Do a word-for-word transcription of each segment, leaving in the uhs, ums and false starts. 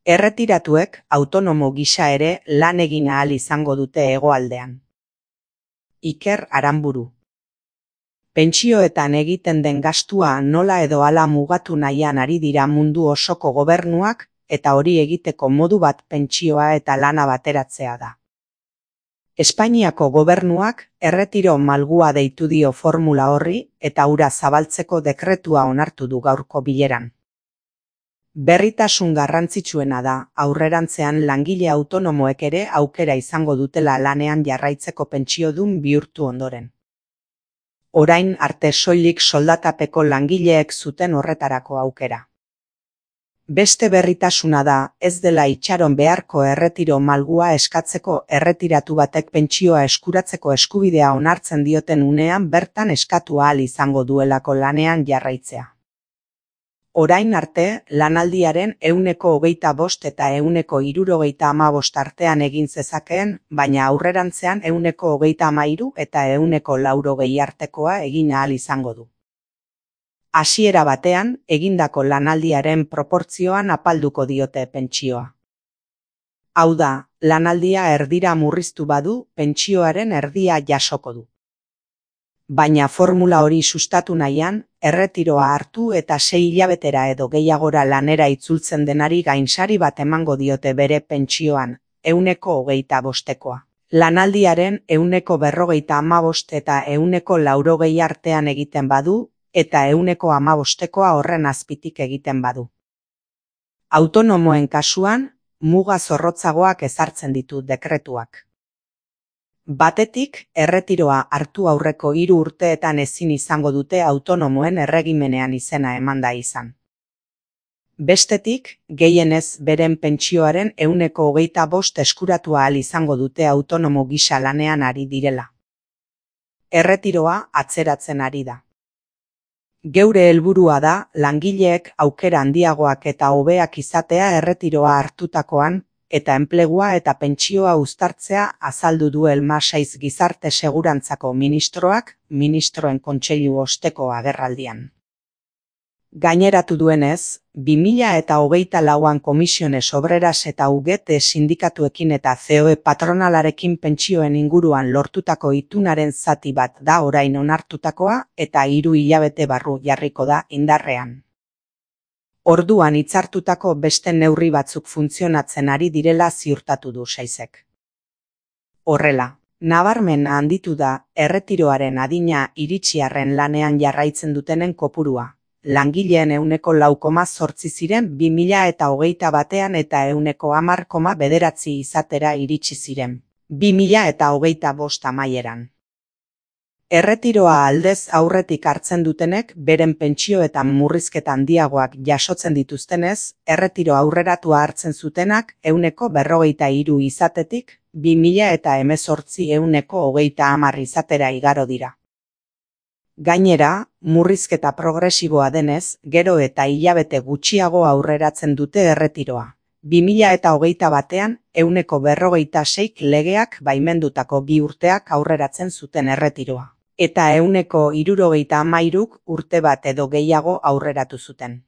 Erretiratuek autonomo gisa ere lan egin ahal izango dute hegoaldean. Iker Aranburu. Pentsioetan egiten den gastua nola edo hala mugatu nahian ari dira mundu osoko gobernuak, eta hori egiteko modu bat pentsioa eta lana bateratzea da. Espainiako gobernuak erretiro malgua deitu dio formula horri eta hura zabaltzeko dekretua onartu du gaurko bileran. Berritasun garrantzitsuena da aurrerantzean langile autonomoek ere aukera izango dutela lanean jarraitzeko pentsiodun bihurtu ondoren. Orain arte soilik soldatapeko langileek zuten horretarako aukera. Beste berritasuna da ez dela itxaron beharko erretiro malgua eskatzeko erretiratu batek pentsioa eskuratzeko eskubidea onartzen dioten unean bertan eskatu ahal izango duelako lanean jarraitzea. Orain arte, lanaldiaren ehuneko hogeita bost eta ehuneko hirurogeita hamabost artean egin zezakeen, baina aurrerantzean ehuneko hogeita hamairu eta ehuneko laurogei artekoa egin ahal izango du. Hasiera batean, egindako lanaldiaren proportzioan apalduko diote pentsioa. Hau da, lanaldia erdira murriztu badu, pentsioaren erdia jasoko du. Baina formula hori sustatu nahian, erretiroa hartu eta sei hilabetera edo gehiagora lanera itzultzen denari gainsari bat emango diote bere pentsioan, ehuneko hogeita bostekoa. Lanaldiaren ehuneko berrogeita hamabost eta ehuneko laurogei artean egiten badu, eta ehuneko hamabostekoa horren azpitik egiten badu. Autonomoen kasuan, muga zorrotzagoak ezartzen ditu dekretuak. Batetik, erretiroa hartu aurreko hiru urteetan ezin izango dute autonomoen erregimenean izena emanda izan. Bestetik, gehienez beren pentsioaren ehuneko hogeita bost eskuratu ahal izango dute autonomo gisa lanean ari direla. Erretiroa atzeratzen ari da. Geure helburua da langileek aukera handiagoak eta hobeak izatea erretiroa hartutakoan, eta enplegua eta pentsioa uztartzea azaldu du Elmasaiz Gizarte Segurantzako ministroak, ministroen kontseilu osteko agerraldian. Gaineratu duenez, bi mila eta hogeita lauan Komisiones Obreras eta U G T sindikatuekin eta C O E patronalarekin pentsioen inguruan lortutako itunaren zati bat da orain onartutakoa eta hiru hilabete barru jarriko da indarrean. Orduan hitzartutako beste neurri batzuk funtzionatzen ari direla ziurtatu du Saizek. Horrela, nabarmen handitu da erretiroaren adina iritsiarren lanean jarraitzen dutenen kopurua. Langileen ehuneko lau koma zortzi ziren bi mila eta hogeita batean eta ehuneko hamar koma bederatzi izatera iritsi ziren, bi mila eta hogeita bost amaieran. Erretiroa aldez aurretik hartzen dutenek beren pentsioetan murrizketa handiagoak jasotzen dituztenez, erretiro aurreratua hartzen zutenak ehuneko berrogeita hiru izatetik, bi mila eta hemezortzi ehuneko hogeita hamar izatera igaro dira. Gainera, murrizketa progresiboa denez, gero eta hilabete gutxiago aurreratzen dute erretiroa. bi mila eta hogeita batean, ehuneko berrogeita seik legeak baimendutako bi urteak aurreratzen zuten erretiroa. Eta ehuneko hirurogeita hamairuk urte bat edo gehiago aurreratu zuten.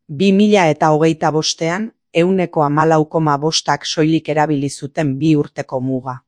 bi mila eta hogeita bostean, ehuneko hamalau koma bostak soilik erabili zuten bi urteko muga.